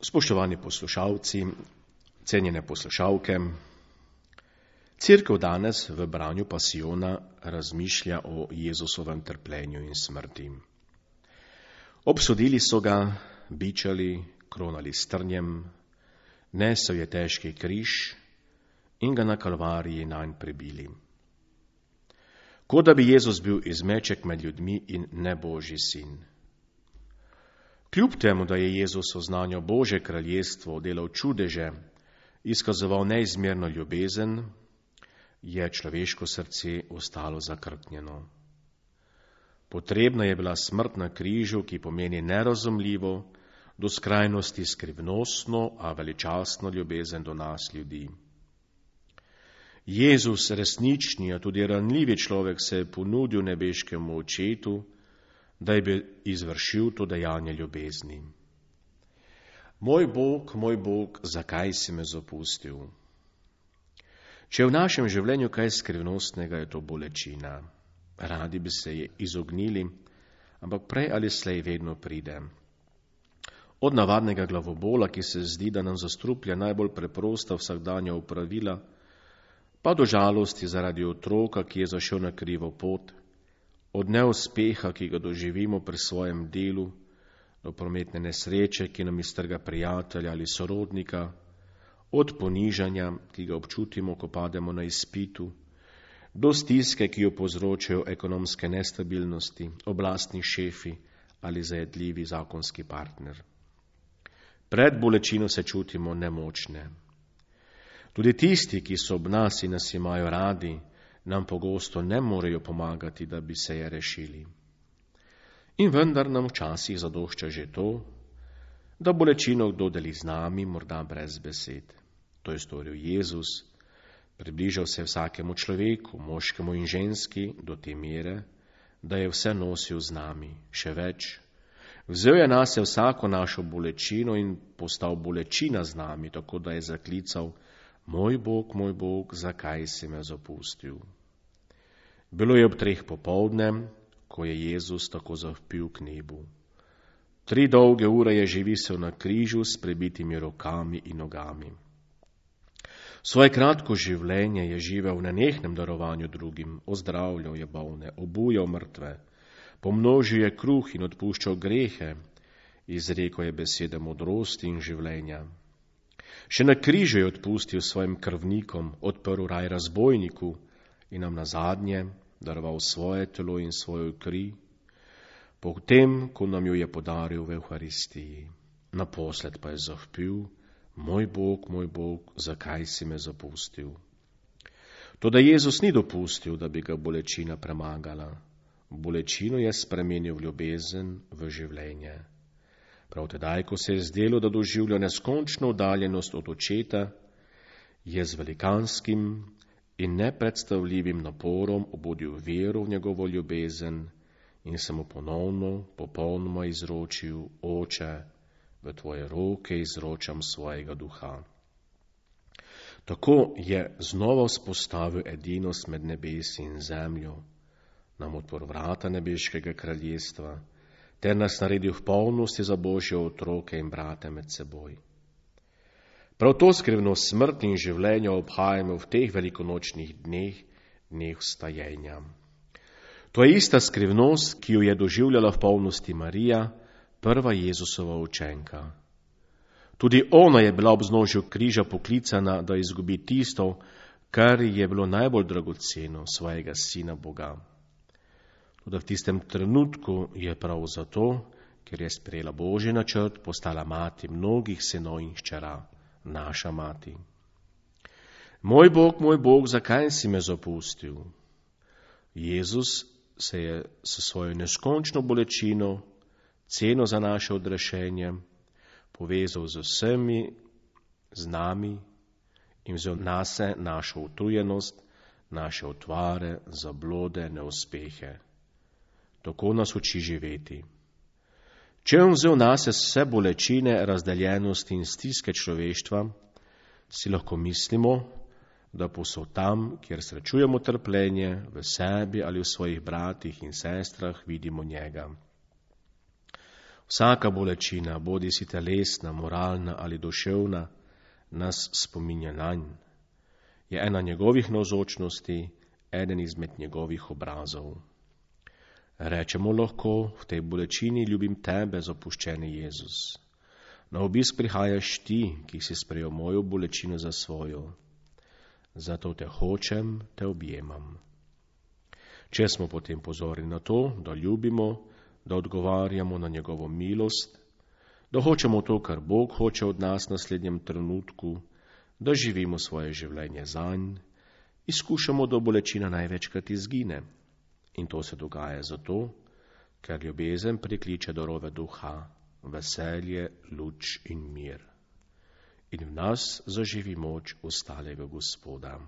Spoštovani poslušalci, cenjene poslušalke, Cerkev danes v branju pasijona razmišlja o Jezusovem trpljenju in smrti. Obsodili so ga, bičali, kronali s trnjem, nesel je težki križ in ga na Kalvariji nanj prebili. Kot da bi Jezus bil izmeček med ljudmi in ne Božji sin. Kljub temu, da je Jezus oznanjal Božje kraljestvo, delal čudeže, izkazoval neizmerno ljubezen, je človeško srce ostalo zakrknjeno. Potrebna je bila smrt na križu, ki pomeni nerazumljivo, do skrajnosti skrivnostno, a veličastno ljubezen do nas ljudi. Jezus, resnični, a tudi ranljivi človek, se je ponudil nebeškemu očetu, da bi izvršil to dejanje ljubezni. Moj Bog, zakaj si me zapustil? Če je v našem življenju kaj skrivnostnega, je to bolečina. Radi bi se je izognili, ampak prej ali slej vedno pride. Od navadnega glavobola, ki se zdi, da nam zastruplja najbolj preprosta vsakdanja opravila, pa do žalosti zaradi otroka, ki je zašel na krivo pot, od neuspeha, ki ga doživimo pri svojem delu, do prometne nesreče, ki nam iztrga prijatelja ali sorodnika, od ponižanja, ki ga občutimo, ko pademo na izpitu, do stiske, ki jo povzročajo ekonomske nestabilnosti, oblastni šefi ali zajedljivi zakonski partner. Pred bolečino se čutimo nemočne. Tudi tisti, ki so ob nas in nas imajo radi, nam pogosto ne morejo pomagati, da bi se je rešili. In vendar nam včasih zadošča že to, da bolečino kdo deli z nami, morda brez besed. To je storil Jezus, približal se vsakemu človeku, moškemu in ženski, do te mere, da je vse nosil z nami. Še več, vzel je nase vsako našo bolečino in postal bolečina z nami, tako da je zaklical: Moj Bog, zakaj si me zapustil? Bilo je ob 3 popoldne, ko je Jezus tako zavpil k nebu. 3 dolge ure je že visel na križu s prebitimi rokami in nogami. Svoje kratko življenje je živel v nenehnem darovanju drugim, ozdravljal je bolne, obujal mrtve, pomnožil je kruh in odpuščal grehe, izrekel je besede modrosti in življenja. Še na križu je odpustil svojim krvnikom, odprl raj razbojniku in nam nazadnje daroval svoje telo in svojo kri, potem, ko nam jo je podaril v Evharistiji. Naposled pa je zavpil: Moj Bog, zakaj si me zapustil? Toda Jezus ni dopustil, da bi ga bolečina premagala. Bolečino je spremenil v ljubezen, v življenje. Prav tedaj, ko se je zdelo, da doživlja neskončno oddaljenost od očeta, je z velikanskim in nepredstavljivim naporom obudil vero v njegovo ljubezen in se mu ponovno, popolnoma izročil: Oče, v tvoje roke izročam svojega duha. Tako je znova vzpostavil edinost med nebesi in zemljo, nam odprl vrata nebeškega kraljestva, ter nas naredil v polnosti za Božje otroke in brate med seboj. Prav to skrivnost smrti in življenja obhajamo v teh velikonočnih dneh vstajenja. To je ista skrivnost, ki jo je doživljala v polnosti Marija, prva Jezusova učenka. Tudi ona je bila ob vznožju križa poklicana, da izgubi tisto, kar je bilo najbolj dragoceno, svojega sina Boga. Toda v tistem trenutku je prav zato, ker je sprejela Božji načrt, postala mati mnogih sinov in hčera, naša mati. Moj Bog, zakaj si me zapustil? Jezus se je s svojo neskončno bolečino, ceno za naše odrešenje, povezal z vsemi, z nami in vzel nase našo utrujenost, naše utvare, zablode, neuspehe. Tako nas uči živeti. Če je vzel nase vse bolečine, razdeljenosti in stiske človeštva, si lahko mislimo, da posod tam, kjer srečujemo trpljenje, v sebi ali v svojih bratih in sestrah, vidimo njega. Vsaka bolečina, bodi si telesna, moralna ali duševna, nas spominja nanj. Je ena njegovih navzočnosti, eden izmed njegovih obrazov. Rečemo lahko, v tej bolečini ljubim tebe, zapuščeni Jezus. Na obisk prihajaš ti, ki si sprejel mojo bolečino za svojo. Zato te hočem, te objemam. Če smo potem pozorni na to, da ljubimo, da odgovarjamo na njegovo milost, da hočemo to, kar Bog hoče od nas v naslednjem trenutku, da živimo svoje življenje zanj, izkušamo, da bolečina največkrat izgine. In to se dogaja zato, ker ljubezen prikliče darove duha, veselje, luč in mir. In v nas zaživi moč ostalega Gospoda.